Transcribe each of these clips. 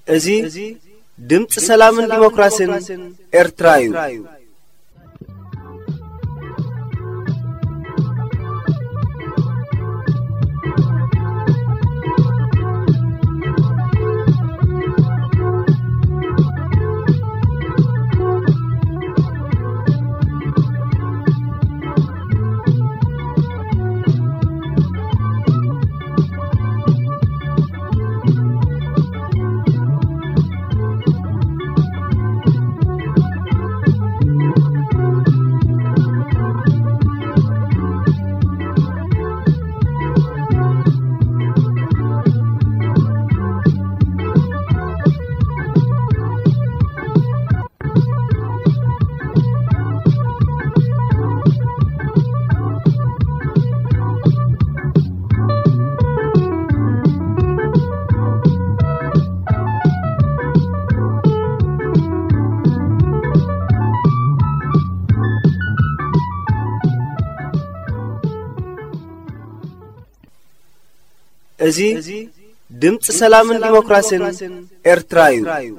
እዚ ድምፂ ሰላምን ዲሞክራሲን ኤርትራ እዩ። እዚ ድምፂ ሰላምን ዲሞክራሲን ኤርትራ እዩ።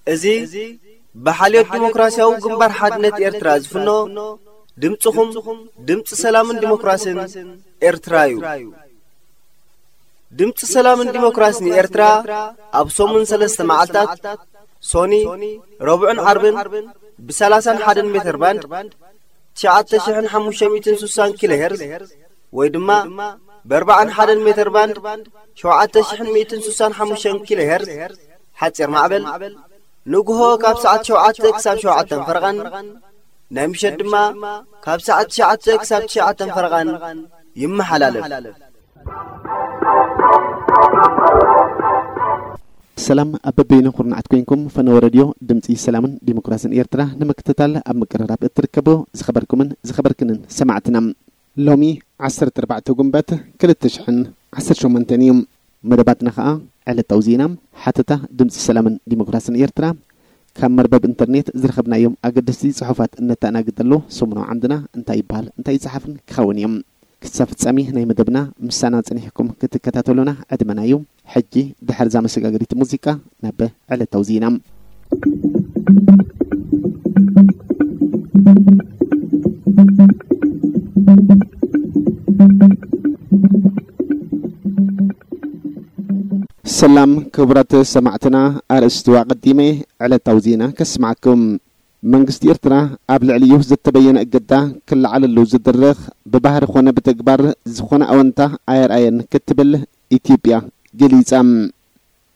እዚ ብሓልዮት ዲሞክራሲያዊ ግንባር ሓድነት ኤርትራ ዝፍኖ ድምፅኹም፣ ድምፂ ሰላምን ዲሞክራሲን ኤርትራ እዩ። ድምፂ ሰላምን ዲሞክራሲን ኤርትራ ኣብ ሰሙን ሰለስተ መዓልታት፣ ሶኒ፣ ረቡዕን ዓርብን፣ ብ30 ሜትር ባንድ፣ ትሽዓተ ሽሕን ሓሙሽተ ሚእትን ስሳን ኪሎ ሄርዝ፣ ወይ ድማ ብ40 ሜትር ባንድ፣ ሸውዓተ ሽሕን ሚእትን ስሳን ሓሙሽተን ኪሎ ሄርዝ፣ ሓፂር ማዕበል፣ ንግሆ ካብ ሰዓት ሸውዓተ ክሳብ ሸውዓተን ፈረቓን፣ ናይ ምሸት ድማ ካብ ሰዓት ትሽዓተ ክሳብ ትሽዓተን ፈረቓን ይመሓላለፍ። ሰላም ኣብ በበይኑ ኩርናዓት ኮይንኩም፣ ፈነወ ረድዮ ድምፂ ሰላምን ዲሞክራሲን ኤርትራ ንምክትታል ኣብ ምቅርራብ እትርከቡ ዝኸበርኩምን ዝኸበርክንን ሰማዕትና፣ ሎሚ ዓሰርተ ኣርባዕተ ጉንበት ክልተ ሽሕን ዓሰርተ ሸሞንተን እዩ። መደባትና ኸኣ ዕለታዊ ዜና፣ ሓተታ ድምፂ ሰላምን ዲሞክራሲን ኤርትራ፣ ካብ መርበብ ኢንተርኔት ዝረኸብናዮም ኣገደስቲ ጽሑፋት እነተኣናግደሉ ሰሙናዊ ዓምድና እንታይ ይበሃል፣ እንታይ ይጸሓፍን ክኸውን እዮም። ክሳብ ፍጻሜ ናይ መደብና ምሳና ጸኒሕኩም ክትከታተሉና ዕድመና እዩ። ሕጂ ድሕሪ እዛ መሰጋገሪት ሙዚቃ ናብ ዕለታዊ ዜና። ሰላም ክቡራት ሰማዕትና፣ ኣርእስቱ ኣቐዲመ ዕለታዊ ዜና ከስማዕኩም። መንግስቲ ኤርትራ ኣብ ልዕሊኡ ዝተበየነ እገዳ ክለዓለሉ ዝድርኽ፣ ብባህሪ ኾነ ብተግባር ዝኾነ ኣወንታ ኣየርኣየን ክትብል ኢትዮጵያ ገሊጻ።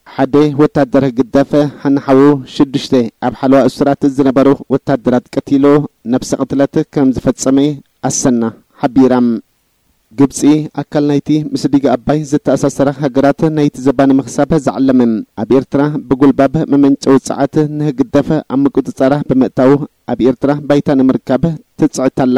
ሓደ ወታደር ህግደፍ ሓንሓዉ ሽዱሽተ ኣብ ሓለዋ እሱራት ዝነበሩ ወታደራት ቀቲሉ ነብሰ ቅትለት ከም ዝፈጸመ ኣሰና ሓቢራ። ግብጺ ኣካል ናይቲ ምስ ዲጋ ኣባይ ዝተኣሳሰራ ሃገራት ናይቲ ዘባ ንምኽሳብ ዝዓለመ ኣብ ኤርትራ ብጉልባብ መመንጨዊ ጸዓት ንህግደፍ ኣብ ምቁጽጻራ ብምእታው ኣብ ኤርትራ ባይታ ንምርካብ ትጽዕት ኣላ።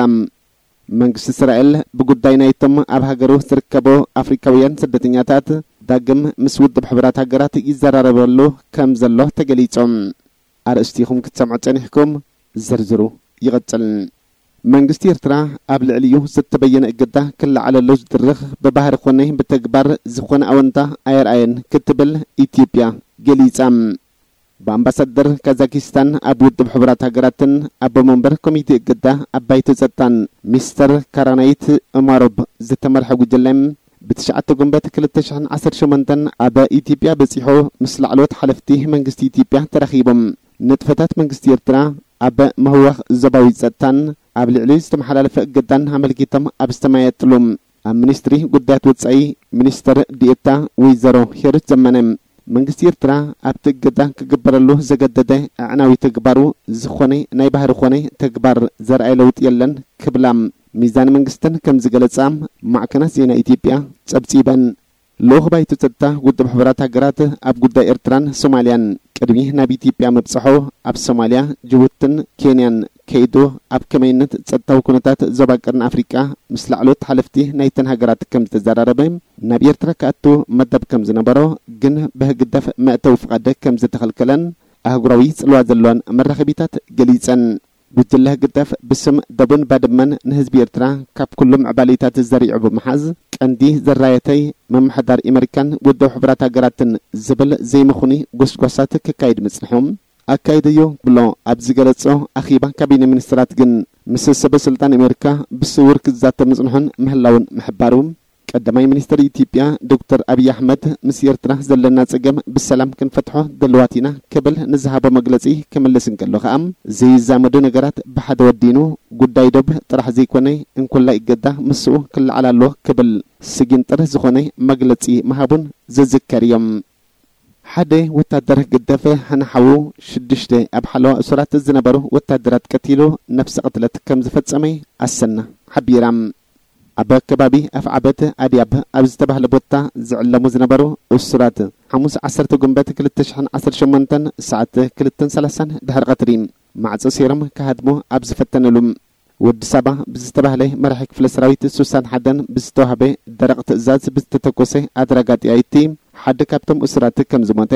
መንግስቲ እስራኤል ብጉዳይ ናይቶም ኣብ ሃገሩ ዝርከቡ ኣፍሪካውያን ስደተኛታት ዳግም ምስ ውድብ ሕቡራት ሃገራት ይዘራረበሉ ከም ዘሎ ተገሊጹ። ኣርእስቲኹም ክትሰምዑ ጸኒሕኩም፣ ዝርዝሩ ይቕጽል። መንግስቲ ኤርትራ ኣብ ልዕሊኡ ዝተበየነ እገዳ ክለዓለሉ ዝድርኽ ብባህሪ ኮነ ብተግባር ዝኾነ ኣወንታ ኣየርኣየን ክትብል ኢትዮጵያ ገሊጻ። ብኣምባሳደር ካዛኪስታን ኣብ ውድብ ሕቡራት ሃገራትን ኣቦ መንበር ኮሚቴ እገዳ ኣባይቲ ጸጥታን ሚስተር ካራናይት ኡማሮብ ዝተመርሐ ጉጅለ ብትሽዓተ ጉንበት ክልተ ሽሕን ዓሰርተ ሸሞንተን ኣብ ኢትዮጵያ በጺሑ ምስ ላዕለዎት ሓለፍቲ መንግስቲ ኢትዮጵያ ተራኺቦም። ንጥፈታት መንግስቲ ኤርትራ ኣብ ምህዋኽ ዞባዊ ጸጥታን ኣብ ልዕሊ ዝተመሓላለፈ እገዳን ኣመልኪቶም ኣብ ዝተመያየጥሉ ኣብ ሚኒስትሪ ጉዳያት ወጻኢ ሚኒስትር ዲኤታ ወይዘሮ ሄሩት ዘመነ መንግስቲ ኤርትራ ኣብቲ እገዳ ክግበረሉ ዘገደደ ኣዕናዊ ተግባሩ ዝኾነ ናይ ባህሪ ኾነ ተግባር ዘርኣየ ለውጢ የለን ክብላ ሚዛን መንግስተን ከም ዝገለጻ ማዕከናት ዜና ኢትዮጵያ ጸብጺበን። ልኡኽ ባይቶ ጸጥታ ውድብ ሕቡራት ሃገራት ኣብ ጉዳይ ኤርትራን ሶማልያን ቅድሚ ናብ ኢትዮጵያ ምብጽሑ ኣብ ሶማልያ፣ ጅቡትን ኬንያን ከይዱ ኣብ ከመይነት ጸጥታዊ ኩነታት ዞባ ቀርኒ ኣፍሪቃ ምስ ላዕለዎት ሓለፍቲ ናይተን ሃገራት ከም ዝተዘራረበ፣ ናብ ኤርትራ ክኣቱ መደብ ከም ዝነበሮ ግን ብህግደፍ መእተዊ ፍቓድ ከም ዝተኸልከለን ኣህጉራዊ ጽልዋ ዘለዋን መራኸቢታት ገሊጸን። ጉጅለ ህግደፍ ብስም ደቡን ባድመን ንህዝቢ ኤርትራ ካብ ኩሉ ምዕባሌታት ዘሪዑ ብምሓዝ፣ ቀንዲ ዘራየተይ ምምሕዳር ኤመሪካን ውድብ ሕቡራት ሃገራትን ዝብል ዘይምኹኒ ጎስጓሳት ክካይድ ምጽንሑ ኣካይደዮ ብሎ ኣብ ዝገለጾ ኣኺባ ካቢነ ሚኒስትራት ግን ምስ ሰበ ስልጣን ኤመሪካ ብስውር ክዛተ ምጽንሑን ምህላውን ምሕባሩ ቀዳማይ ሚኒስትር ኢትዮጵያ ዶክተር ኣብይ ኣሕመድ ምስ ኤርትራ ዘለና ጸገም ብሰላም ክንፈትሖ ድልዋት ኢና ክብል ንዝሃቦ መግለጺ ክምልስ እንከሎ ከኣ ዘይዛመዱ ነገራት ብሓደ ወዲኑ ጉዳይ ዶብ ጥራሕ ዘይኮነ እንኮላይ እገዳ ምስኡ ክለዓል ኣለዎ ክብል ስጊንጥር ዝኾነ መግለጺ ምሃቡን ዝዝከር እዮም። ሓደ ወታደር ህግደፍ ሕነ ሓዉ ሽዱሽተ ኣብ ሓለዋ እሱራት ዝነበሩ ወታደራት ቀቲሉ ነፍሰ ቅትለት ከም ዝፈጸመ ኣሰና ሓቢራ። ኣብ ከባቢ ኣፍዓበት ኣድያብ ኣብ ዝተባህለ ቦታ ዝዕለሙ ዝነበሩ እሱራት ሓሙስ ዓሰርተ ጉንበት ክልተ ሽሕን ዓሰርተ ሸሞንተን ሰዓት ክልተን ሰላሳን ድሕሪ ቀትሪ ማዕጾ ሰይሮም ክሃድሙ ኣብ ዝፈተንሉ ወዲ ሳባ ብዝተባህለ መራሒ ክፍለ ሰራዊት ሱሳን ሓደን ብዝተዋህበ ደረቕ ትእዛዝ ብዝተተኮሰ ኣድራጋ ጥያይቲ ሓደ ካብቶም እሱራት ከም ዝሞተ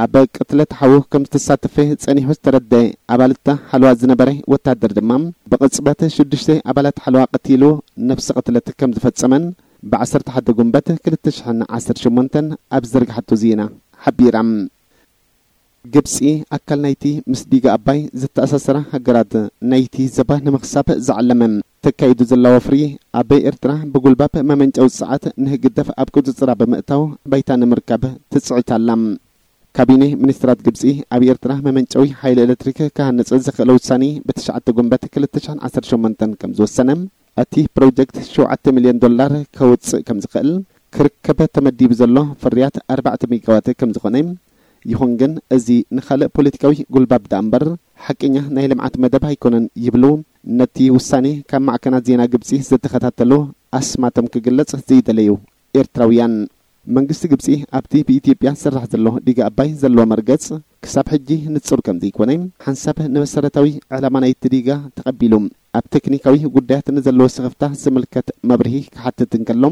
ኣብ ቅትለት ሓዉ ከም ዝተሳተፈ ጸኒሑ ዝተረደ ኣባልታ ሓለዋ ዝነበረ ወታደር ድማ ብቕጽበት ሽዱሽተ ኣባላት ሓለዋ ቀቲሉ ነፍሲ ቅትለት ከም ዝፈጸመን ብ ዓሰርተ ሓደ ጉንበት ክልተ ሽሕን ዓሰርተ ሸሞንተን ኣብ ዝዘርግሓቶ ዜና ሓቢራ። ግብጺ ኣካል ናይቲ ምስ ዲጋ ኣባይ ዝተኣሳሰራ ሃገራት ናይቲ ዘባ ንምኽሳብ ዝዓለመ ተካይዱ ዘላ ወፍሪ ኣብ ኤርትራ ብጉልባብ መመንጨዊ ጸዓት ንህግደፍ ኣብ ቁጽጽራ ብምእታው ባይታ ንምርካብ ትጽዕት ኣላ። ካቢኔ ሚኒስትራት ግብጺ ኣብ ኤርትራ መመንጨዊ ሓይሊ ኤሌክትሪክ ክሃንጽ ዝኽእል ውሳኔ ብትሽዓተ ጉንበት ክልተ ሽሕን ዓሰርተ ሸሞንተን ከም ዝወሰነ፣ እቲ ፕሮጀክት ሸውዓተ ሚልዮን ዶላር ከውጽእ ከም ዝኽእል፣ ክርከብ ተመዲቡ ዘሎ ፍርያት ኣርባዕተ ሜጋዋት ከም ዝኾነ፣ ይኹን ግን እዚ ንኻልእ ፖለቲካዊ ጉልባብ ደኣ እምበር ሓቀኛ ናይ ልምዓት መደብ ኣይኮነን ይብሉ ነቲ ውሳኔ ካብ ማዕከናት ዜና ግብጺ ዝተኸታተሉ ኣስማቶም ክግለጽ ዘይደለዩ ኤርትራውያን። መንግስቲ ግብጺ ኣብቲ ብኢትዮጵያ ዝስራሕ ዘሎ ዲጋ ኣባይ ዘለዎ መርገጽ ክሳብ ሕጂ ንጹር ከም ዘይኮነ፣ ሓንሳብ ንመሰረታዊ ዕላማ ናይቲ ዲጋ ተቐቢሉ ኣብ ቴክኒካዊ ጉዳያት ንዘለዎ ስኽፍታ ዝምልከት መብርሂ ክሓትት እንከሎ፣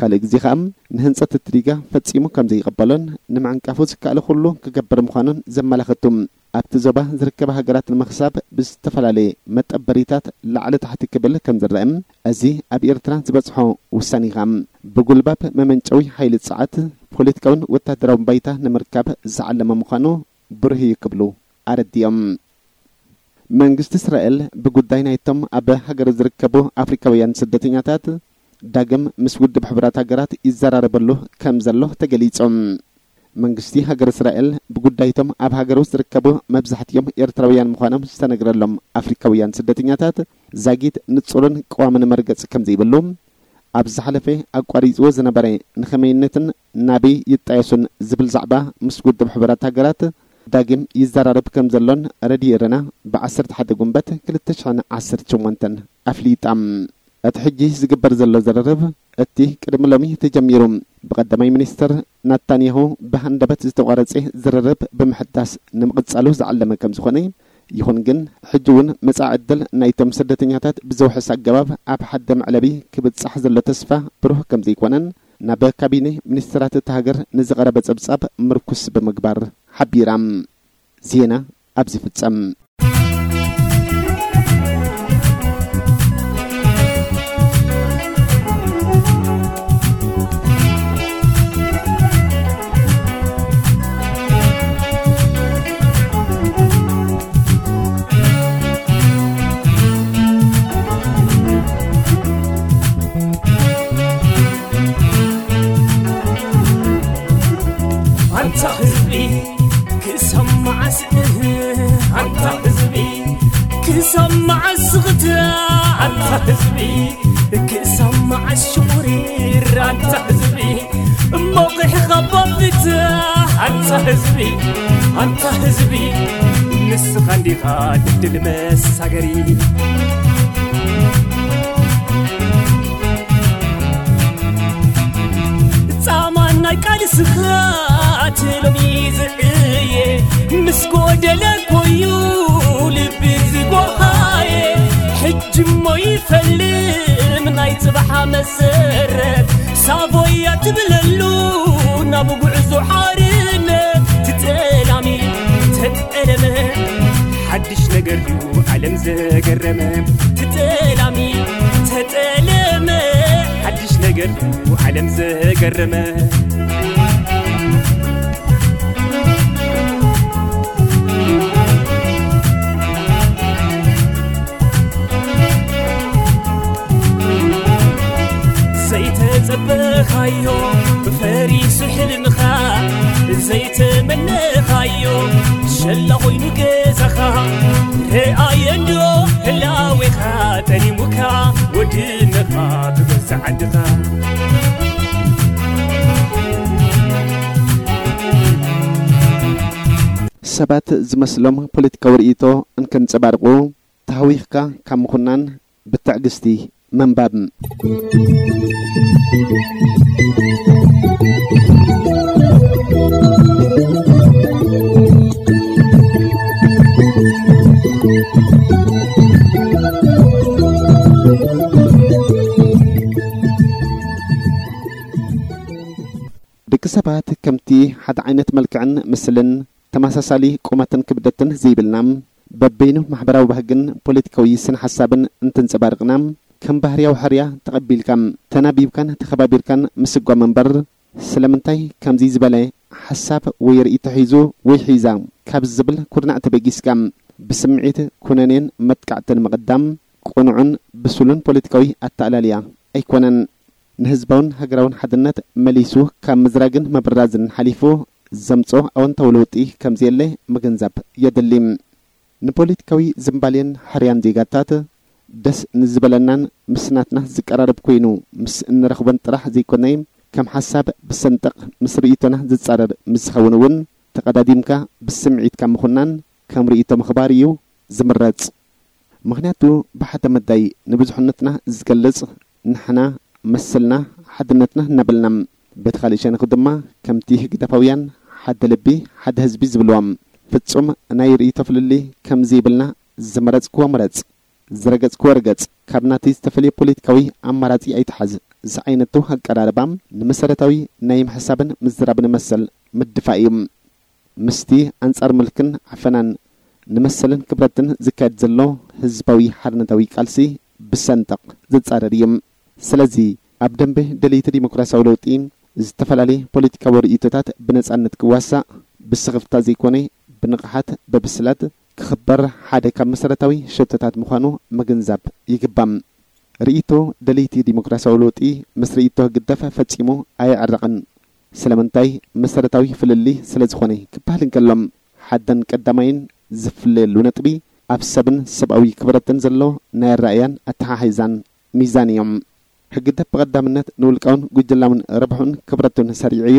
ካልእ ግዜ ከኣ ንህንጸት እቲ ዲጋ ፈጺሙ ከም ዘይቕበሎን ንምዕንቃፉ ዝከኣለ ኩሉ ክገብር ምዃኑን ዘመላኽቱ ኣብቲ ዞባ ዝርከባ ሃገራት ንምኽሳብ ብዝተፈላለየ መጠበሪታት ላዕሊ ታሕቲ ክብል ከም ዝረአ፣ እዚ ኣብ ኤርትራ ዝበጽሖ ውሳኔ ከኣ ብጉልባብ መመንጨዊ ሓይሊ ጸዓት ፖለቲካውን ወታደራውን ባይታ ንምርካብ ዝዓለመ ምዃኑ ብሩህ እዩ ክብሉ ኣረዲኦም። መንግስቲ እስራኤል ብጉዳይ ናይቶም ኣብ ሃገሩ ዝርከቡ ኣፍሪካውያን ስደተኛታት ዳግም ምስ ውድብ ሕቡራት ሃገራት ይዘራረበሉ ከም ዘሎ ተገሊጹ። መንግስቲ ሃገር እስራኤል ብጉዳይቶም ኣብ ሃገሩ ዝርከቡ መብዛሕትኦም ኤርትራውያን ምዃኖም ዝተነግረሎም ኣፍሪካውያን ስደተኛታት ዛጊት ንጹርን ቀዋምን መርገጽ ከም ዘይብሉ፣ ኣብ ዝሓለፈ ኣቋሪጽዎ ዝነበረ ንኸመይነትን ናበይ ይጣየሱን ዝብል ዛዕባ ምስ ውድብ ሕቡራት ሃገራት ዳግም ይዘራረብ ከም ዘሎን ረድዮ ኤረና ብ ዓሰርተ ሓደ ጉንበት ክልተ ሽሕን ዓሰርተ ሸሞንተን ኣፍሊጣ። እቲ ሕጂ ዝግበር ዘሎ ዝርርብ፣ እቲ ቅድሚ ሎሚ ተጀሚሩ ብቀዳማይ ሚኒስትር ናታንያሁ ብሃንደበት ዝተቋረጸ ዝርርብ ብምሕዳስ ንምቕጻሉ ዝዓለመ ከም ዝኾነ፣ ይኹን ግን ሕጂ እውን መጻኢ ዕድል ናይቶም ስደተኛታት ብዘውሕስ ኣገባብ ኣብ ሓደ መዕለቢ ክብጻሕ ዘሎ ተስፋ ብሩህ ከም ዘይኮነን ናብ ካቢነ ሚኒስትራት እታ ሃገር ንዝቐረበ ጸብጻብ ምርኩስ ብምግባር ሓቢራ። ዜና ኣብዚ ፍጸም። ኣንታ ህዝቢ ክሳብ መዓስ? ኣንታ ህዝቢ ክሳብ መዓስ? ኣንታ ህዝቢ ክሳብ መዓስ ሽቑሪር? ኣንታ ህዝቢ እሞ ቂሕኻ ባብት። ኣንታ ህዝቢ፣ ኣንታ ህዝቢ ንስኻ እንዲኻ ድልድል መሳገሪ። ጻማ ናይ ቃልስኻ ትሎሚ ዝዕየ፣ ምስ ጎደለ ኮዩ ልቢ ዝጎሃየ፣ ሕጂ እሞ ይፈልም ናይ ጽባሓ መሰረት፣ ሳቮያ ትብለሉ ናብ ጉዕዞ ሓርነት። ትጠላሚ ተጠለመ ሓድሽ ነገር ድዩ ዓለም ዘገረመ? ትጠላሚ ተጠለመ ሓድሽ ነገር ድዩ ዓለም ዘገረመ? ዘይተጸበኻዮ ፈሪሱ ሕልምኻ፣ ዘይተመነኻዮ ሸላ ኾይኑ ገዛኻ፣ ረኣየ እንዶ ህላዌኻ ጠሊሙካ ወድነኻ ብገዛ ዓድኻ። ሰባት ዝመስሎም ፖለቲካዊ ርእይቶ እንከንጸባርቑ፣ ተሃዊኽካ ካብ ምኹናን ብትዕግስቲ ምንባብ። ደቂ ሰባት ከምቲ ሓደ ዓይነት መልክዕን ምስልን ተመሳሳሊ ቁመትን ክብደትን ዘይብልና፣ በበይኑ ማሕበራዊ ባህግን ፖለቲካዊ ስነ ሓሳብን እንትንጸባርቕና፣ ከም ባህርያዊ ሕርያ ተቐቢልካ፣ ተናቢብካን ተኸባቢርካን ምስጓም እምበር፣ ስለምንታይ ከምዚ ዝበለ ሓሳብ ወይ ርእይቶ ሒዙ ወይ ሒዛ ካብ ዝብል ኩርናዕ ተበጊስካ፣ ብስምዒት ኩነኔን መጥቃዕትን ምቕዳም ቅኑዕን ብሱልን ፖለቲካዊ ኣተኣላልያ ኣይኮነን። ንህዝባውን ሃገራውን ሓድነት መሊሱ ካብ ምዝራግን ምብራዝን ሓሊፉ ዘምጾ ኣወንታዊ ለውጢ ከም ዘየለ ምግንዛብ የድሊ። ንፖለቲካዊ ዝምባሌን ሕርያን ዜጋታት ደስ ንዝበለናን ምስ ናትና ዝቀራረብ ኮይኑ ምስ እንረኽቦን ጥራሕ ዘይኮነ፣ ከም ሓሳብ ብሰንጠቕ ምስ ርእይቶና ዝጻረር ምስ ዝኸውን እውን ተቐዳዲምካ ብስምዒትካ ምኹናን ከም ርእይቶ ምኽባር እዩ ዝምረጽ። ምኽንያቱ ብሓደ መዳይ ንብዙሕነትና ዝገልጽ ንሕና መሰልና ሓድነትና እናበልና፣ በቲ ካልእ ሸነኽ ድማ ከምቲ ህግደፋውያን ሓደ ልቢ ሓደ ህዝቢ ዝብልዎም ፍጹም ናይ ርእይቶ ፍልልይ ከም ዘይብልና ዝመረጽክዎ ምረጽ፣ ዝረገጽክዎ ርገጽ፣ ካብ ናተይ ዝተፈልየ ፖለቲካዊ ኣማራጺ ኣይትሓዝ ዝዓይነቱ ኣቀራርባ ንመሰረታዊ ናይ ምሕሳብን ምዝራብን መሰል ምድፋእ እዩ። ምስቲ ኣንጻር ምልክን ዓፈናን ንመሰልን ክብረትን ዝካየድ ዘሎ ህዝባዊ ሓርነታዊ ቃልሲ ብሰንጠቕ ዝጻረር እዩ። ስለዚ ኣብ ደንበ ደለይቲ ዲሞክራሲያዊ ለውጢ ዝተፈላለየ ፖለቲካዊ ርእይቶታት ብነጻነት ክዋሳእ፣ ብስኽፍታ ዘይኮነ ብንቕሓት ብብስለት ክኽበር ሓደ ካብ መሰረታዊ ሸቶታት ምዃኑ ምግንዛብ ይግባእ። ርእይቶ ደለይቲ ዲሞክራሲያዊ ለውጢ ምስ ርእይቶ ህግደፍ ፈጺሙ ኣየዕርቕን። ስለምንታይ? መሰረታዊ ፍልልይ ስለ ዝኾነ ክበሃል እንከሎ፣ ሓደን ቀዳማይን ዝፍለየሉ ነጥቢ ኣብ ሰብን ሰብኣዊ ክብረትን ዘሎ ናይ ኣረኣእያን ኣተሓሒዛን ሚዛን እዮም። ህግደፍ ብቐዳምነት ንውልቃውን ጉጅላውን ረብሑን ክብረቱን ሰሪዑ እዩ።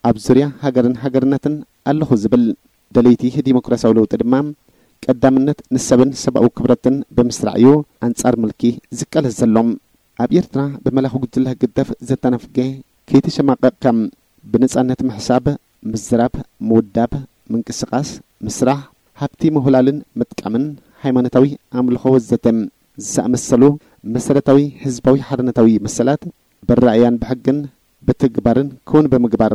ኣብ ዙርያ ሃገርን ሃገርነትን ኣለኹ ዝብል። ደለይቲ ዲሞክራሲያዊ ለውጢ ድማ ቀዳምነት ንሰብን ሰብኣዊ ክብረትን ብምስራዕ እዩ ኣንጻር ምልኪ ዝቃለስ ዘሎ። ኣብ ኤርትራ ብመላኺ ጉጅለ ህግደፍ ዘተነፍገ ከይተሸማቐቕካ ብነጻነት ምሕሳብ፣ ምዝራብ፣ ምውዳብ፣ ምንቅስቓስ፣ ምስራሕ፣ ሃብቲ ምሁላልን ምጥቃምን፣ ሃይማኖታዊ ኣምልኾ ወዘተ ዝኣመሰሉ መሰረታዊ ህዝባዊ ሓርነታዊ መሰላት ብራእያን ብሕግን ብትግባርን ክውን ብምግባር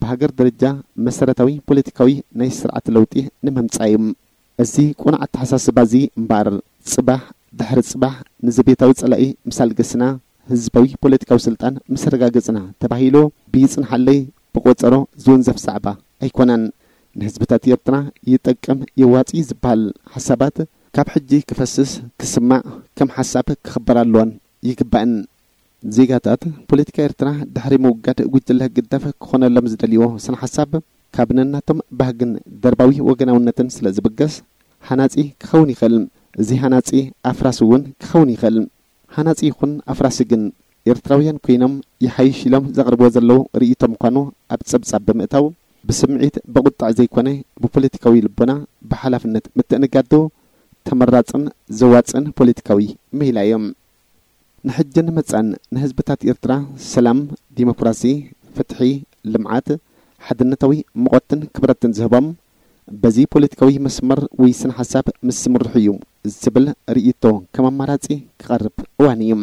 ብሃገር ደረጃ መሰረታዊ ፖለቲካዊ ናይ ስርዓት ለውጢ ንምምጻእ እዩ። እዚ ቁኑዕ ኣተሓሳስባ እዚ እምበኣር ጽባሕ ድሕሪ ጽባሕ ንዘቤታዊ ጸላኢ ምስ ኣልገስና ህዝባዊ ፖለቲካዊ ስልጣን ምስ ኣረጋገጽና ተባሂሉ ብይጽንሓለይ ብቆጸሮ ዝውንዘፍ ዛዕባ ኣይኮነን። ንህዝብታት ኤርትራ ይጠቅም የዋጽእ ዝበሃል ሓሳባት ካብ ሕጂ ክፈስስ ክስማዕ ከም ሓሳብ ክኽበር ኣለዎን ይግባእን። ዜጋታት ፖለቲካ ኤርትራ ድሕሪ ምውጋድ ጉጅለ ህግደፍ ክኾነሎም ዝደልይዎ ስነ ሓሳብ ካብ ነናቶም ባህግን ደርባዊ ወገናውነትን ስለ ዝብገስ ሃናጺ ክኸውን ይኽእል። እዚ ሃናጺ ኣፍራሲ እውን ክኸውን ይኽእል። ሃናጺ ይኹን ኣፍራሲ ግን ኤርትራውያን ኮይኖም ይሓይሽ ኢሎም ዘቕርብዎ ዘለዉ ርእይቶ ምዃኑ ኣብ ጸብጻብ ብምእታው ብስምዒት ብቑጥዕ ዘይኮነ ብፖለቲካዊ ልቦና ብሓላፍነት ምትእንጋዱ ተመራጽን ዘዋጽእን ፖለቲካዊ ሜላ እዮም። ንሕጅን መጻን ንህዝብታት ኤርትራ ሰላም፣ ዲሞክራሲ፣ ፍትሒ፣ ልምዓት፣ ሓድነታዊ ሙቐትን ክብረትን ዝህቦም በዚ ፖለቲካዊ መስመር ወይ ስነ ሓሳብ ምስ ዝምርሑ እዩ ዝብል ርእይቶ ከም ኣማራጺ ክቐርብ እዋን እዩ።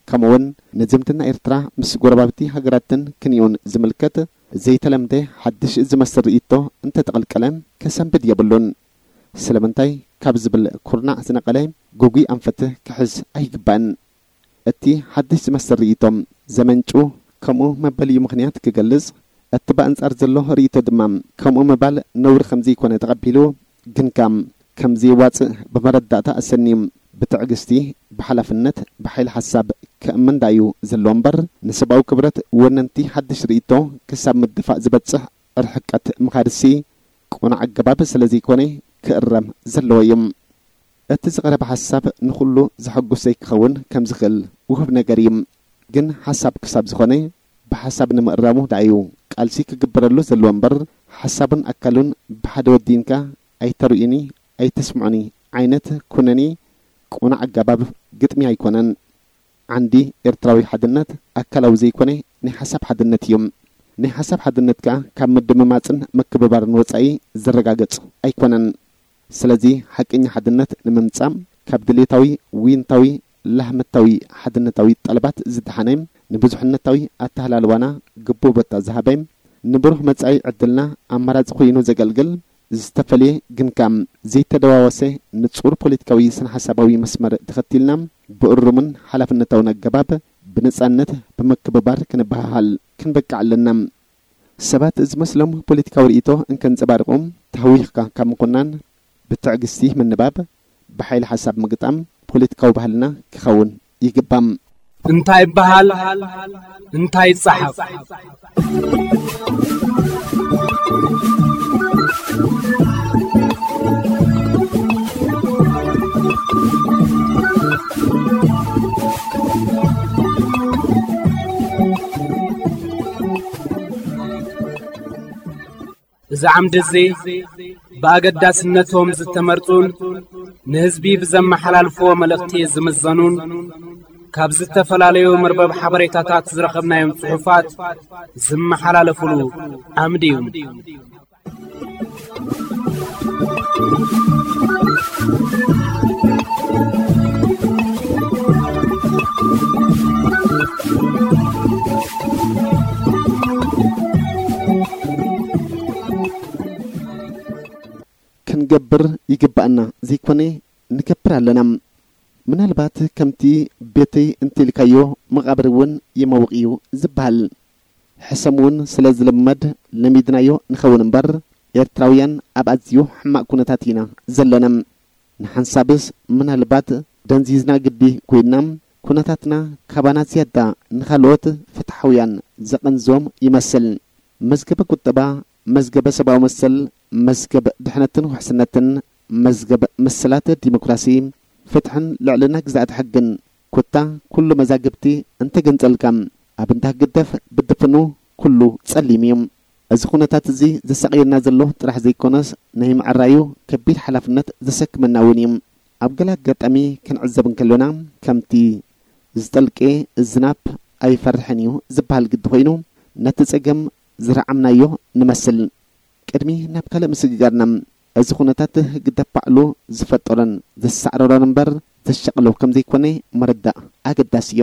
ከምኡውን ንዝምድና ኤርትራ ምስ ጎረባብቲ ሃገራትን ክንዮን ዝምልከት ዘይተለምደ ሓድሽ ዝመስል ርእይቶ እንተተቐልቀለ ከሰንብድ የብሉን። ስለምንታይ ካብ ዝብል ኩርናዕ ዝነቐለ ግጉይ ኣንፈት ክሕዝ ኣይግባእን። እቲ ሓድሽ ዝመስል ርእይቶ ዘመንጩ ከምኡ መበሊኡ ምኽንያት ክገልጽ፣ እቲ ብኣንጻር ዘሎ ርእይቶ ድማ ከምኡ ምባል ነውሪ ከም ዘይኮነ ተቐቢሉ፣ ግንካ ከም ዘየዋጽእ ብመረዳእታ ኣሰንዩ ብትዕግስቲ፣ ብሓላፍነት፣ ብሓይሊ ሓሳብ ክእምን ደኣ እዩ ዘለዎ እምበር፣ ንሰብኣዊ ክብረት ወነንቲ ሓድሽ ርእይቶ ክሳብ ምድፋእ ዝበጽሕ ርሕቀት ምኻድሲ ቅኑዕ ኣገባብ ስለ ዘይኮነ ክእረም ዘለዎ እዩ። እቲ ዝቐረበ ሓሳብ ንኹሉ ዘሐጉስ ዘይክኸውን ከም ዝኽእል ውሁብ ነገር እዩ። ግን ሓሳብ ክሳብ ዝኾነ ብሓሳብ ንምእራሙ ደኣ እዩ ቃልሲ ክግበረሉ ዘለዎ እምበር፣ ሓሳቡን ኣካሉን ብሓደ ወዲንካ ኣይተርእዩኒ ኣይተስምዑኒ ዓይነት ኩነኔ ቅኑዕ ኣገባብ ግጥሚ ኣይኮነን። ዓንዲ ኤርትራዊ ሓድነት ኣካላዊ ዘይኮነ ናይ ሓሳብ ሓድነት እዩ። ናይ ሓሳብ ሓድነት ከኣ ካብ ምድምማጽን ምክብባርን ወጻኢ ዝረጋገጽ ኣይኮነን። ስለዚ ሓቀኛ ሓድነት ንምምጻእ ካብ ድሌታዊ ዊንታዊ ላህመታዊ ሓድነታዊ ጠለባት ዝደሓነ፣ ንብዙሕነታዊ ኣተሃላልዋና ግቡእ ቦታ ዝሃበ፣ ንብሩህ መጻኢ ዕድልና ኣማራጺ ኮይኑ ዘገልግል፣ ዝተፈልየ ግንካ ዘይተደዋወሰ ንጹር ፖለቲካዊ ስነ ሓሳባዊ መስመር ተኸቲልና ብእሩምን ሓላፍነታውን ኣገባብ ብነጻነት ብምክብባር ክንበሃሃል ክንበቅዕ ኣለና። ሰባት ዝመስሎም ፖለቲካዊ ርእይቶ እንከንጸባርቑ ተሃዊኽካ ካብ ምኹናን ብትዕግስቲ ምንባብ፣ ብሓይሊ ሓሳብ ምግጣም ፖለቲካዊ ባህልና ክኸውን ይግባእ። እንታይ ይበሃል? እንታይ ይጸሓፍ? እዚ ዓምዲ እዚ ብኣገዳስነቶም ዝተመርጹን ንህዝቢ ብዘመሓላልፍዎ መልእኽቲ ዝምዘኑን ካብ ዝተፈላለዩ መርበብ ሓበሬታታት ዝረኸብናዮም ጽሑፋት ዝመሓላለፉሉ ዓምዲ እዩ። ክንገብር ይግባኣና ዘይኮነ ንገብር ኣለና። ምናልባት ከምቲ ቤተይ እንተኢልካዮ መቓብር እውን ይመውቕ እዩ ዝበሃል። ሕሰም እውን ስለ ዝልመድ ለሚድናዮ ንኸውን እምበር፣ ኤርትራውያን ኣብ ኣዝዩ ሕማቕ ኩነታት ኢና ዘለና። ንሓንሳብስ ምናልባት ደንዚዝና ግዲ ኮይንና፣ ኩነታትና ካባና ዝያዳ ንኻልኦት ፍትሓውያን ዘቐንዞም ይመስል። መዝገበ ቁጠባ፣ መዝገበ ሰብኣዊ መሰል፣ መዝገብ ድሕነትን ውሕስነትን፣ መዝገብ መሰላት ዲሞክራሲ፣ ፍትሕን ልዕልና ግዝኣት ሕግን፣ ኮታ ኩሉ መዛግብቲ እንተገንጸልካ፣ ኣብ እንዳ ህግደፍ ብድፍኑ ኩሉ ጸሊም እዩ። እዚ ኩነታት እዚ ዘሳቕየና ዘሎ ጥራሕ ዘይኮነስ፣ ናይ ምዕራዩ ከቢድ ሓላፍነት ዘሰክመና እውን እዩ። ኣብ ገለ ኣጋጣሚ ክንዕዘብ እንከሎና፣ ከምቲ ዝጠልቄ ዝናብ ኣይፈርሕን እዩ ዝበሃል ግዲ ኮይኑ፣ ነቲ ጸገም ዝረዓምናዮ ንመስል። ቅድሚ ናብ ካልእ ምስግጋርና፣ እዚ ኩነታት ህግደፍ ባዕሉ ዝፈጠሮን ዘሳዕረሮን እምበር ዘሻቕሎ ከም ዘይኮነ ምርዳእ ኣገዳሲ እዩ።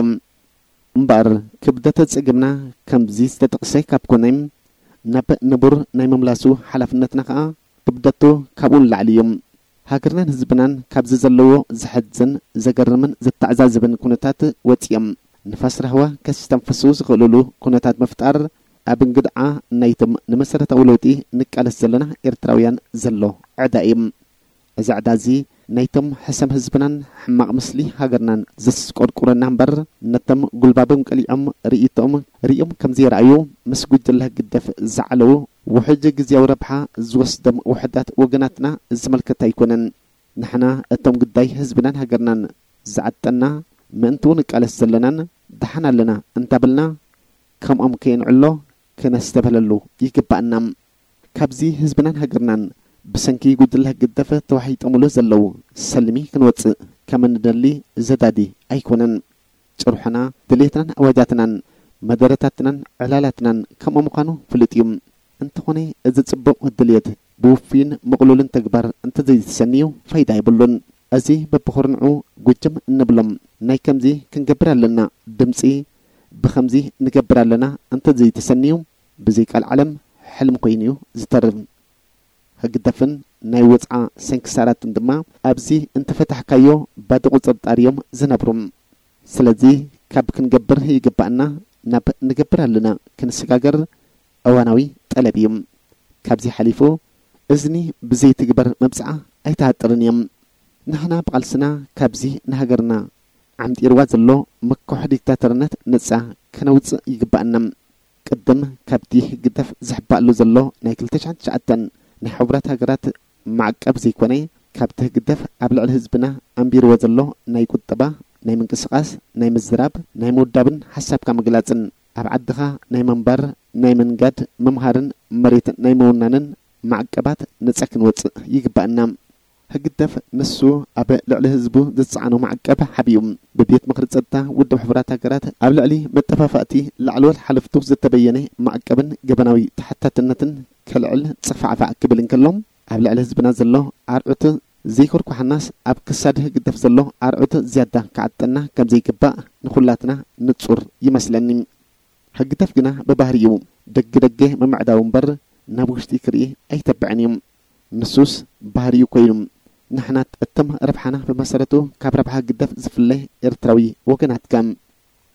እምበኣር ክብደት ጸገምና ከምዚ ዝተጠቕሰ ካብ ኮነ፣ ናብ ንቡር ናይ ምምላሱ ሓላፍነትና ከኣ ክብደቱ ካብኡ ንላዕሊ እዩ። ሃገርናን ህዝብናን ካብዚ ዘለዎ ዘሕዝን፣ ዘገርምን ዘተዓዛዝብን ኩነታት ወጺኦም ንፋስ ራህዋ ከስተንፍሱ ዝኽእልሉ ኩነታት ምፍጣር ኣብ እንግድዓ ናይቶም ንመሰረታዊ ለውጢ ንቃለስ ዘለና ኤርትራውያን ዘሎ ዕዳ እዩ። እዚ ዕዳ እዚ ናይቶም ሕሰም ህዝብናን ሕማቕ ምስሊ ሃገርናን ዘስቆርቁረና እምበር፣ ነቶም ጉልባቦም ቀሊዖም ርእይቶኦም ርእዮም ከም ዘይረኣዩ ምስ ጉጅለ ህግደፍ ዝዓለዉ ውሕጅ ግዝያዊ ረብሓ ዝወስዶም ውሑዳት ወገናትና ዝምልከት ኣይኮነን። ንሕና እቶም ጉዳይ ህዝብናን ሃገርናን ዝዓጠና ምእንትኡ ንቃለስ ዘለናን ደሓን ኣለና እንታበልና፣ ከምኦም ከየንዕሎ ክነስተብህለሉ ይግባእና። ካብዚ ህዝብናን ሃገርናን ብሰንኪ ጉጅለ ህግደፍ ተዋሒጦምሉ ዘለዉ ሰልሚ ክንወጽእ ከም እንደሊ ዘዳዲ ኣይኮነን። ጭርሖና፣ ድሌትናን ኣዋጃትናን፣ መደረታትናን ዕላላትናን ከምኡ ምዃኑ ፍሉጥ እዩ። እንተኾነ፣ እዚ ጽቡቕ ድልየት ብውፉይን ምቕሉልን ተግባር እንተዘይተሰንዩ ፋይዳ የብሉን። እዚ በብኹርንዑ ጉጅም እንብሎም ናይ ከምዚ ክንገብር ኣለና ድምጺ፣ ብኸምዚ ንገብር ኣለና እንተዘይተሰንዩ፣ ብዘይ ቃል ዓለም ሕልሚ ኮይኑ እዩ ዝተርፍ። ህግደፍን ናይ ወጽዓ ሰንክሳራትን ድማ ኣብዚ እንተፈታሕካዮ ባዶ ቁጽርጣር እዮም ዝነብሩ። ስለዚ ካብ ክንገብር ይግባእና ናብ ንገብር ኣለና ክንሰጋገር እዋናዊ ጠለብ እዩ። ካብዚ ሓሊፉ እዝኒ ብዘይትግበር መብጽዓ ኣይትሃጥርን እዮም። ንሕና ብቓልስና ካብዚ ንሃገርና ዓምጢርዋ ዘሎ ምኩሕ ዲክታተርነት ነጻ ከነውጽእ ይግባእና። ቅድም ካብቲ ህግደፍ ዝሕባእሉ ዘሎ ናይ ክልተ ሽሕን ትሽዓተን ናይ ሕቡራት ሃገራት ማዕቀብ ዘይኮነ፣ ካብቲ ህግደፍ ኣብ ልዕሊ ህዝብና ኣንቢርዎ ዘሎ ናይ ቁጠባ፣ ናይ ምንቅስቓስ፣ ናይ ምዝራብ፣ ናይ ምውዳብን ሓሳብካ ምግላጽን ኣብ ዓድኻ ናይ ምንባር፣ ናይ ምንጋድ፣ ምምሃርን መሬት ናይ ምውናንን ማዕቀባት ነጻ ክንወጽእ ይግባእና። ህግደፍ ንሱ ኣብ ልዕሊ ህዝቡ ዝጸዓኖ ማዕቀብ ሓቢኡ ብቤት ምኽሪ ጸጥታ ውድብ ሕቡራት ሃገራት ኣብ ልዕሊ መጠፋፋእቲ ላዕለዎት ሓለፍቱ ዝተበየነ ማዕቀብን ገበናዊ ተሓታትነትን ከልዕል ጽፋዕፋዕ ክብል እንከሎ፣ ኣብ ልዕሊ ህዝብና ዘሎ ኣርዑት ዘይኮርኳሓናስ ኣብ ክሳድ ህግደፍ ዘሎ ኣርዑት ዝያዳ ክዓጠና ከም ዘይግባእ ንኹላትና ንጹር ይመስለኒ። ህግደፍ ግና ብባህሪኡ ደገ ደገ ምምዕዳው እምበር ናብ ውሽጢ ክርኢ ኣይተብዕን እዩ። ንሱስ ባህሪኡ ኮይኑ፣ ንሕና እቶም ረብሓና ብመሰረቱ ካብ ረብሓ ህግደፍ ዝፍለ ኤርትራዊ ወገናትካ።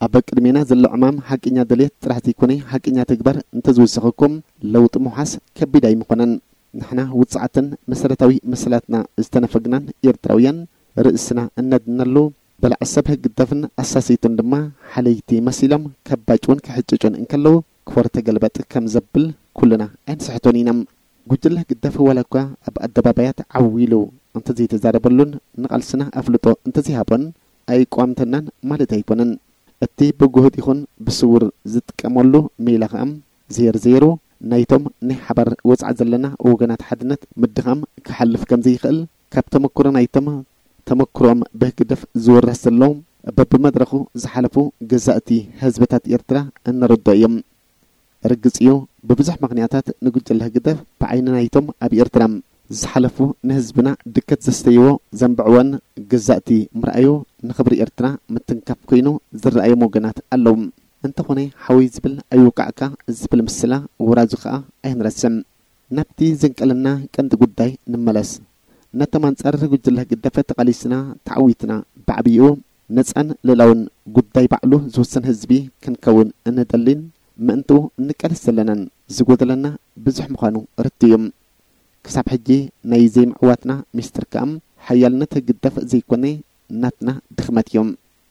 ኣብ ቅድሜና ዘሎ ዕማም ሓቀኛ ድሌት ጥራሕ ዘይኮነ ሓቀኛ ተግባር እንተዝውስኸኩም ለውጢ ምውሓስ ከቢድ ኣይምኾነን። ንሕና ውጽዓትን መሰረታዊ መሰላትና ዝተነፈግናን ኤርትራውያን ርእስና እነድነሉ በላዕ ሰብ ህግደፍን ኣሳሰይቱን ድማ ሓለይቲ መሲሎም ከባጭውን ክሕጭጩን እንከለዉ ክወር ተገልበጥ ከም ዘብል ኩልና ኣይንስሕቶን ኢና። ጉጅለ ህግደፍ ዋላ እኳ ኣብ ኣደባባያት ዓው ኢሉ እንተዘይተዛረበሉን ንቓልስና ኣፍልጦ እንተዘይሃቦን ኣይቋምተናን ማለት ኣይኮነን። እቲ ብጉሁድ ይኹን ብስውር ዝጥቀመሉ ሜላ ኸኣ ዜር ዜሩ ናይቶም ናይ ሓባር ወጽዓ ዘለና ወገናት ሓድነት ምድኻም ክሓልፍ ከም ዘይኽእል ካብ ተመክሮ ናይቶም ተመክሮኦም ብህግደፍ ዝውረስ ዘሎ በብመድረኹ ዝሓለፉ ገዛእቲ ህዝብታት ኤርትራ እንርድኦ እዮም። ርግጽ እዩ፣ ብብዙሕ ምኽንያታት ንጉጅለ ህግደፍ ብዓይኒ ናይቶም ኣብ ኤርትራ ዝሓለፉ ንህዝብና ድከት ዘስተይዎ ዘንብዕወን ገዛእቲ ምርኣዩ ንኽብሪ ኤርትራ ምትንካፍ ኮይኑ ዝረኣዮም ወገናት ኣለዉ። እንተኾነ ሓወይ ዝብል ኣይውቃዕካ ዝብል ምስላ ውራዙ ከኣ ኣይንረስዕ። ናብቲ ዘንቀለና ቀንዲ ጉዳይ ንመለስ። ነቶም ኣንጻር ጉጅለ ህግደፍ ተቓሊስና ተዓዊትና ብዓብይኡ ነጻን ልእላውን ጉዳይ ባዕሉ ዝውስን ህዝቢ ክንከውን እንደልን ምእንትኡ እንቃለስ ዘለናን ዝጎደለና ብዙሕ ምዃኑ ርድእ እዩ። ክሳብ ሕጂ ናይ ዘይምዕዋትና ሚስጥር ከኣ ሓያልነት ህግደፍ ዘይኮነ ናትና ድኽመት እዩ።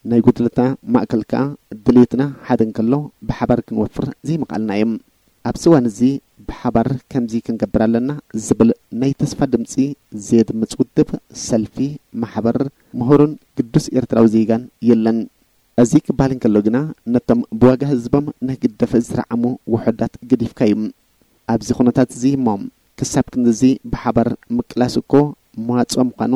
ናይ ጉድለትና ማእከል ከኣ ድሌትና ሓደ እንከሎ ብሓባር ክንወፍር ዘይምኽኣልና እዩ። ኣብዚ እዋን እዚ ብሓባር ከምዚ ክንገብር ኣለና ዝብል ናይ ተስፋ ድምጺ ዘየድምጽ ውድብ፣ ሰልፊ፣ ማሕበር፣ ምሁርን ግዱስ ኤርትራዊ ዜጋን የለን። እዚ ክበሃል እንከሎ ግና ነቶም ብዋጋ ህዝቦም ንህግደፍ ዝረዓሙ ውሑዳት ገዲፍካ እዩ። ኣብዚ ኩነታት እዚ እሞ ክሳብ ክንድዚ ብሓባር ምቅላስ እኮ መዋጽኦ ምዃኑ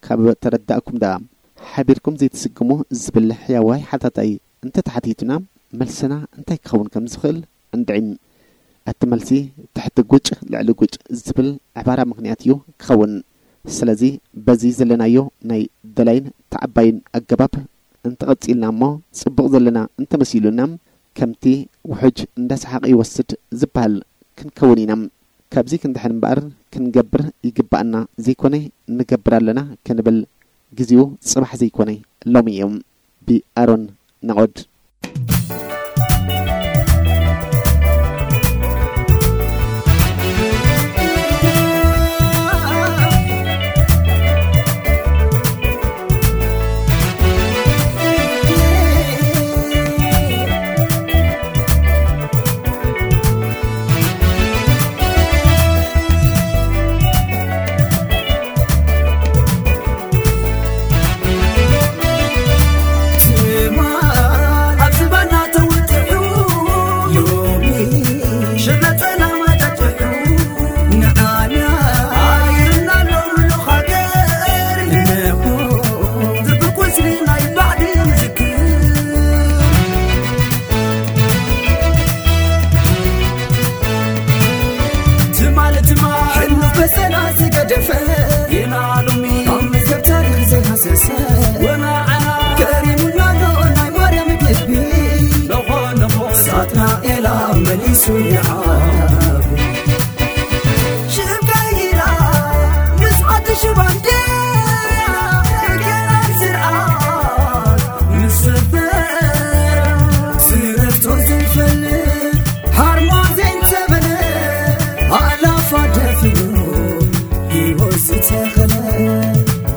ካብ ተረዳእኩም ደኣ ሓቢርኩም ዘይትስግሙ ዝብል ሕያዋይ ሓታታይ እንተተሓቲቱና፣ መልስና እንታይ ክኸውን ከም ዝኽእል እንድዒም። እቲ መልሲ ትሕቲ ጉጭ ልዕሊ ጉጭ ዝብል ዕባራ ምኽንያት እዩ ክኸውን። ስለዚ በዚ ዘለናዮ ናይ ደላይን ተዓባይን ኣገባብ እንተቐጺልና እሞ ጽቡቕ ዘለና እንተመሲሉና፣ ከምቲ ውሑጅ እንዳሰሓቐ ይወስድ ዝበሃል ክንከውን ኢና። ካብዚ ክንድሕን እምበኣር ክንገብር ይግባኣና ዘይኮነ፣ ንገብር ኣለና ክንብል ግዜኡ ጽባሕ ዘይኮነ ሎሚ እዩ። ብኣሮን ናኦድ። ትማል ኣብ ዝባና ተወጢሑ፣ ሎሚ ሽረተና ማጫጭሑ፣ ንዓና ኣይርና ኣሎ ሙሉእ ሃገር፣ እነሆ ዝብቁስሊ ናይ ባዕዲ ምዝክር። ትማል ትማል ሕልሙ በሰና ዝገደፈ፣ ጌና ሎሚ ካብ መዝገብ ታሪኽ ዘይሃሰሰ፣ ወናዓና ገሪሙና ኣሎ ናይ ማርያም ግቢ። ነኾ ነኾ ሳጥናኤል መሊሱ ይዓቢ። ሽም ቀይራ ምስ ሓድሽ ባንዴራ፣ ገና ስርዓት ምስ ሰፈራ፣ ስረቶ ዘይፈልጥ ሃርሞዜን ተበለ፣ ኣእላፋ ደፊኑ ህይወት ዝተኸለ፣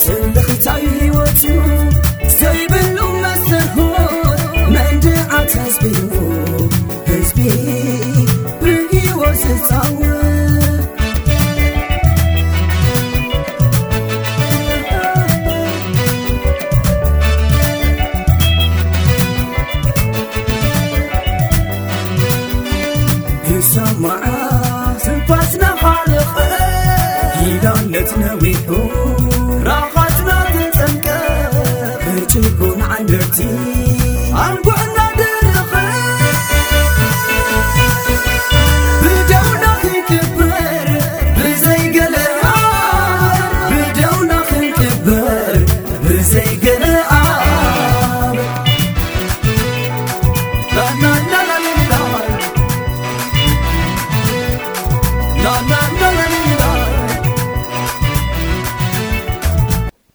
ትልኽታዩ ህይወቱ ዘይብሉ መስተርሆት መንድዓት ህዝቢ እዩ። ህዝቢ ብህይወት ዝጻወት። ይሰማዓ ትንፋስና ሓለቐ፣ ኪዳነት ነዊሑ ራኻትና ተጸምቀ፣ ብጭቁን ዓንደርቲ ኣንጉዕና ደረኸ። ብደውና ክንቅበር ብዘይ ገለ፣ ብደውና ክንቅበር ብዘይ ገለ።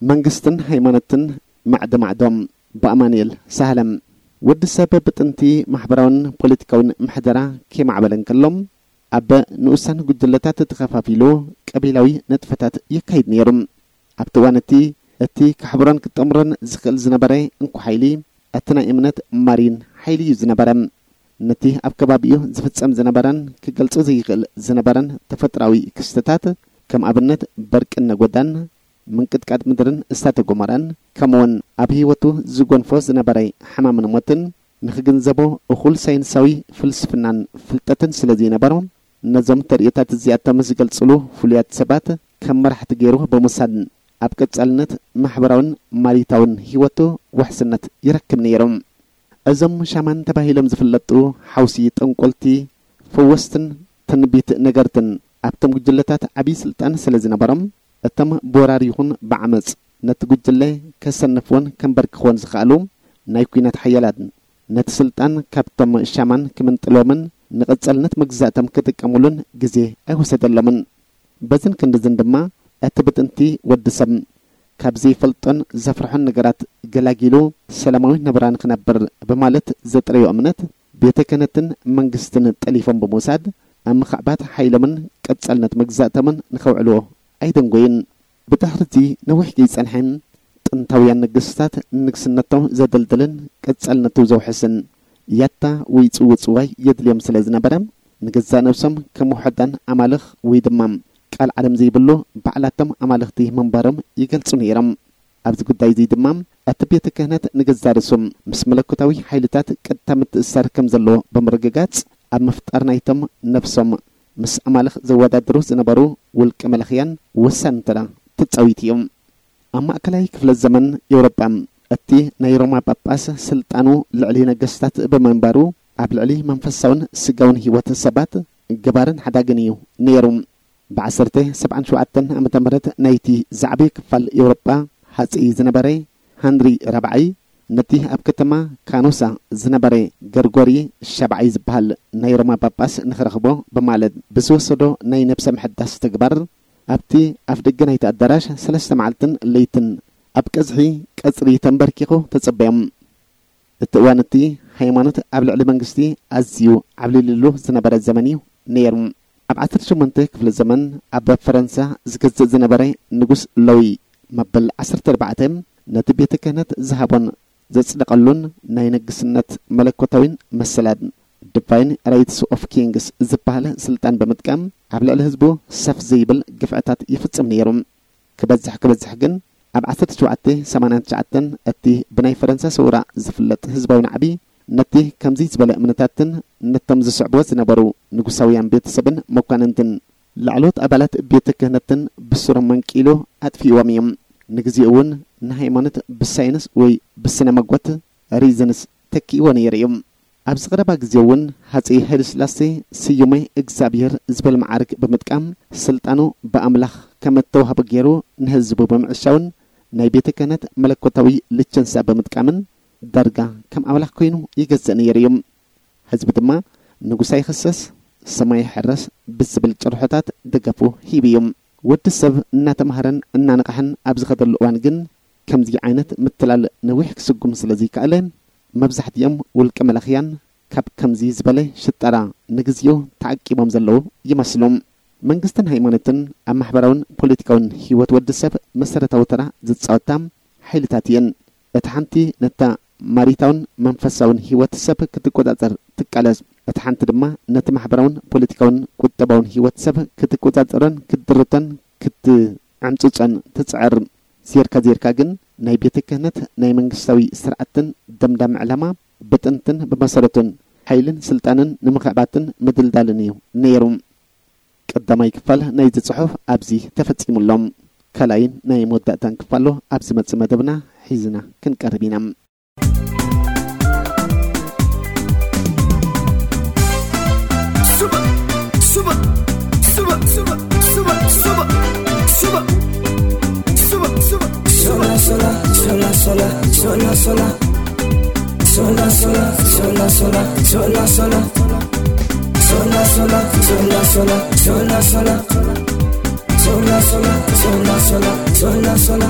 መንግስትን ሃይማኖትን ማዕዶ ማዕዶ። ብኣማኑኤል ሳህለ። ወዲ ሰብ ብጥንቲ ማሕበራውን ፖለቲካውን ምሕደራ ከይማዕበለ እንከሎ፣ ኣብ ንኡሳን ጉጅለታት ተኸፋፊሉ ቀቢላዊ ንጥፈታት የካይድ ነይሩ። ኣብቲ እዋን እቲ፣ እቲ ከሕብሮን ክጠምሮን ዝኽእል ዝነበረ እንኮ ሓይሊ፣ እቲ ናይ እምነት ማሪን ሓይሊ እዩ ዝነበረ። ነቲ ኣብ ከባቢኡ ዝፍጸም ዝነበረን ክገልጾ ዘይኽእል ዝነበረን ተፈጥሮኣዊ ክስተታት፣ ከም ኣብነት በርቅን ነጎዳን፣ ምንቅጥቃጥ ምድርን እሳተ ጎመራን፣ ከምኡውን ኣብ ህይወቱ ዝጎንፎ ዝነበረ ሕማምን ሞትን ንኽግንዘቦ እኹል ሳይንሳዊ ፍልስፍናን ፍልጠትን ስለ ዘይነበሮ፣ ነዞም ተርእዮታት እዚኣቶም ዝገልጽሉ ፍሉያት ሰባት ከም መራሕቲ ገይሩ ብምውሳድ፣ ኣብ ቀጻልነት ማሕበራውን ማሪታውን ህይወቱ ውሕስነት ይረክብ ነይሩ። እዞም ሻማን ተባሂሎም ዝፍለጡ ሓውሲ ጠንቆልቲ፣ ፈወስትን ትንቢት ነገርትን ኣብቶም ጉጅለታት ዓብዪ ስልጣን ስለ ዝነበሮም፣ እቶም ብወራር ይኹን ብዓመጽ ነቲ ጉጅለ ከሰንፍዎን ከንበርክኽዎን ዝኸኣሉ ናይ ኲናት ሓያላት፣ ነቲ ስልጣን ካብቶም ሻማን ክምንጥልዎምን ንቐጻልነት መግዛእቶም ክጥቀሙሉን ግዜ ኣይወሰደሎምን። በዝን ክንድዝን ድማ፣ እቲ ብጥንቲ ወዲ ሰብ ካብ ዘይፈልጦን ዘፍርሖን ነገራት ገላጊሉ ሰላማዊ ናብራ ንኽነብር ብማለት ዘጥረዮ እምነት፣ ቤተ ክህነትን መንግስትን ጠሊፎም ብምውሳድ፣ ኣብ ምኽዕባት ሓይሎምን ቀጻልነት መግዛእቶምን ንኸውዕልዎ ኣይደንጎዩን። ብድሕሪ'ዚ ነዊሕ ከይጸንሐ፣ ጥንታውያን ነገስታት ንንግስነቶም ዘደልድልን ቀጻልነቱ ዘውሕስን ያታ ወይ ጽውጽዋይ የድልዮም ስለ ዝነበረ፣ ንገዛእ ነብሶም ከም ውሑዳን ኣማልኽ ወይ ድማ ቃል ዓለም ዘይብሉ ባዕላቶም ኣማልኽቲ ምንባሮም ይገልጹ ነይሮም። ኣብዚ ጉዳይ እዚ ድማ፣ እቲ ቤተ ክህነት ንገዛእ ርእሱ ምስ መለኮታዊ ሓይልታት ቀጥታ ምትእስሳር ከም ዘለዎ ብምርግጋጽ፣ ኣብ ምፍጣር ናይቶም ነብሶም ምስ ኣማልኽ ዘወዳድሩ ዝነበሩ ውልቀ መለኽያን ወሳኒ ተራ ተጻዊቱ እዩ። ኣብ ማእከላይ ክፍለ ዘመን ኤውሮጳ፣ እቲ ናይ ሮማ ጳጳስ ስልጣኑ ልዕሊ ነገስታት ብምንባሩ፣ ኣብ ልዕሊ መንፈሳውን ስጋውን ህይወት ሰባት ገባርን ሓዳግን እዩ ነይሩ። ብ ዓሰርተ ሰብዓን ሸውዓተን ዓመተ ምህረት ናይቲ ዝዓበየ ክፋል ኤውሮጳ ሃጸይ ዝነበረ ሃንሪ ራብዓይ፣ ነቲ ኣብ ከተማ ካኖሳ ዝነበረ ገርጎሪ ሻብዓይ ዝበሃል ናይ ሮማ ጳጳስ ንኽረኽቦ ብማለት ብዝወሰዶ ናይ ነብሰ ምሕዳስ ተግባር፣ ኣብቲ ኣፍ ደገ ናይቲ ኣዳራሽ ሰለስተ መዓልትን ለይትን ኣብ ቀዝሒ ቀጽሪ ተንበርኪኹ ተጸበዮም። እቲ እዋን እቲ ሃይማኖት ኣብ ልዕሊ መንግስቲ ኣዝዩ ዓብሊልሉ ዝነበረ ዘመን እዩ ነይሩ። ኣብ ዓሰርተ ሸሞንተ ክፍለ ዘመን ኣብ ፈረንሳ ዝገዝእ ዝነበረ ንጉስ ሎዊ መበል ዓሰርተ ኣርባዕተ ነቲ ቤተ ክህነት ዝሃቦን ዘጽደቐሉን ናይ ንግስነት መለኮታዊን መሰላን፣ ዲቫይን ራይትስ ኦፍ ኪንግስ ዝበሃል ስልጣን ብምጥቃም፣ ኣብ ልዕሊ ህዝቡ ሰፍ ዘይብል ግፍዕታት ይፍጽም ነይሩ። ክበዝሕ ክበዝሕ ግን፣ ኣብ ዓሰርተ ሸውዓተ ሰማንያን ትሽዓተን እቲ ብናይ ፈረንሳ ሰውራ ዝፍለጥ ህዝባዊ ናዕቢ፣ ነቲ ከምዚ ዝበለ እምነታትን ነቶም ዝስዕብዎ ዝነበሩ ንጉሳውያን ቤተሰብን መኳንንትን ላዕለዎት ኣባላት ቤተ ክህነትን ብስሮም መንቂሉ ኣጥፊእዎም እዮም። ንግዜኡ እውን ንሃይማኖት ብሳይንስ ወይ ብስነ መጎት፣ ሪዝንስ፣ ተኪእዎ ነይሩ እዩ። ኣብዚ ቀረባ ግዜ እውን ሃጸይ ሃይለስላሴ ስዩመ እግዚኣብሔር ዝብል መዓርግ ብምጥቃም፣ ስልጣኑ ብኣምላኽ ከም እተዋህቦ ገይሩ ንህዝቡ ብምዕሻውን ናይ ቤተ ክህነት መለኮታዊ ልቸንሳ ብምጥቃምን ዳርጋ ከም ኣምላኽ ኮይኑ ይገዝእ ነይሩ እዩ። ህዝቢ ድማ ንጉስ ኣይኽሰስ፣ ሰማይ ይሕረስ ብዝብል ጭርሖታት ደገፉ ሂቡ እዩ። ወዲ ሰብ እናተማህረን እናነቕሐን ኣብ ዝኸደሉ እዋን ግን፣ ከምዚ ዓይነት ምትላል ነዊሕ ክስጉም ስለ ዘይከኣለ፣ መብዛሕትኦም ውልቀ መላኽያን ካብ ከምዚ ዝበለ ሽጠራ ንግዚኡ ተዓቂቦም ዘለዉ ይመስሉ። መንግስትን ሃይማኖትን ኣብ ማሕበራውን ፖለቲካውን ህይወት ወዲ ሰብ መሰረታዊ ተራ ዝጻወታ ሓይልታት እየን። እታ ሓንቲ ነታ ማሪታውን መንፈሳውን ህይወት ሰብ ክትቆጻጸር ትቃለስ። እታ ሓንቲ ድማ ነቲ ማሕበራውን ፖለቲካውን ቁጠባውን ህይወት ሰብ ክትቆጻጸሮን ክትድርቶን ክትዕምጽጾን ትጽዕር። ዜርካ ዜርካ ግን ናይ ቤተ ክህነት ናይ መንግስታዊ ስርዓትን ደምዳሚ ዕላማ ብጥንትን ብመሰረቱን ሓይልን ስልጣንን ንምኽዕባትን ምድልዳልን እዩ ነይሩ። ቀዳማይ ክፋል ናይዚ ጽሑፍ ኣብዚ ተፈጺሙ ኣሎ። ካልኣይን ናይ መወዳእታን ክፋሎ ኣብ ዝመጽእ መደብና ሒዝና ክንቀርብ ኢና። Sola, sola, sola, sola, sola, sola, sola. Sola, sola, sola, sola, sola, sola. Sola, sola, sola, sola, sola, sola. Sola, sola, sola, sola, sola, sola.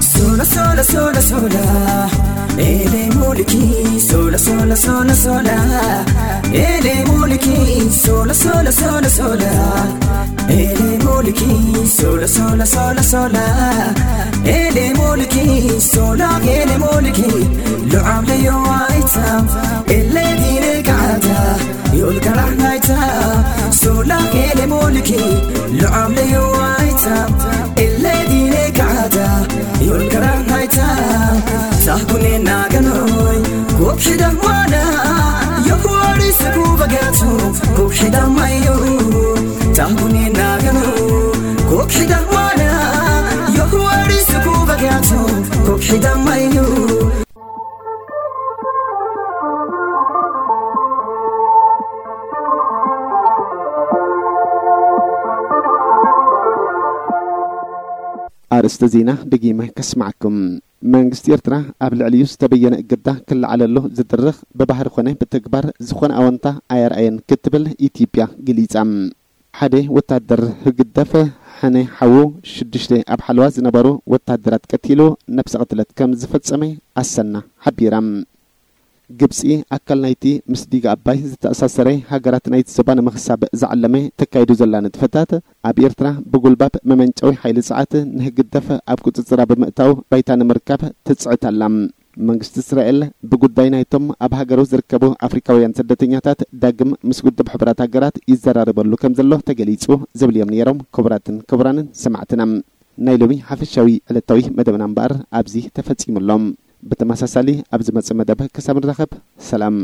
Sola, sola, sola, sola. Ele mulki, sola, sola, sola, sola. Ele mulki, sola, sola, sola, sola. Ele mulki, sola, sola, sola, sola. Ele mulki, sola, ele mulki. Lo amle yo aita, ele dire gata. Yol karahnaita, sola ele mulki. Lo amle yo aita, ele dire gata. Yol karahnaita, sahkune naganoi. Kokshida mana, yo kuari saku bagatu. Kokshida mayo, tahkune nagano. Kokshida mana, yo kuari saku bagatu. Kokshida mayo. ኣርእስተ ዜና ደጊመ ከስማዕኩም። መንግስቲ ኤርትራ ኣብ ልዕሊኡ ዝተበየነ እገዳ ክለዓለሉ ዝድርኽ ብባህሪ ኮነ ብተግባር ዝኾነ ኣወንታ ኣየርኣየን ክትብል ኢትዮጵያ ገሊጻ። ሓደ ወታደር ህግደፍ ሕነ ሓዉ ሽዱሽተ ኣብ ሓለዋ ዝነበሩ ወታደራት ቀቲሉ ነብሰ ቅትለት ከም ዝፈጸመ ኣሰና ሓቢራ። ግብጺ ኣካል ናይቲ ምስ ዲጋ ኣባይ ዝተኣሳሰረ ሃገራት ናይቲ ዞባ ንምኽሳብ ዝዓለመ ተካይዱ ዘላ ንጥፈታት ኣብ ኤርትራ ብጉልባብ መመንጨዊ ሓይሊ ጸዓት ንህግደፍ ኣብ ቁጽጽራ ብምእታው ባይታ ንምርካብ ትጽዕት ኣላ። መንግስቲ እስራኤል ብጉዳይ ናይቶም ኣብ ሃገሩ ዝርከቡ ኣፍሪካውያን ስደተኛታት ዳግም ምስ ውድብ ሕቡራት ሃገራት ይዘራረበሉ ከም ዘሎ ተገሊጹ ዝብል እዮም ነይሮም። ክቡራትን ክቡራንን ሰማዕትና፣ ናይ ሎሚ ሓፈሻዊ ዕለታዊ መደብና እምበኣር ኣብዚ ተፈጺሙ ኣሎ። ብተመሳሳሊ ኣብ ዝመጽእ መደብ ክሳብ ንራኸብ፣ ሰላም።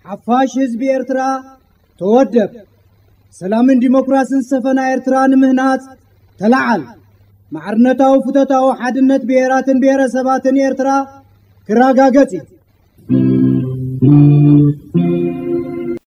ሓፋሽ ህዝቢ ኤርትራ፣ ተወደብ። ሰላምን ዲሞክራስን ዝሰፈና ኤርትራ ንምህናጽ ተለዓል። ማዕርነታዊ ፍቶታዊ ሓድነት ብሄራትን ብሄረሰባትን ኤርትራ ክረጋገጽ እዩ።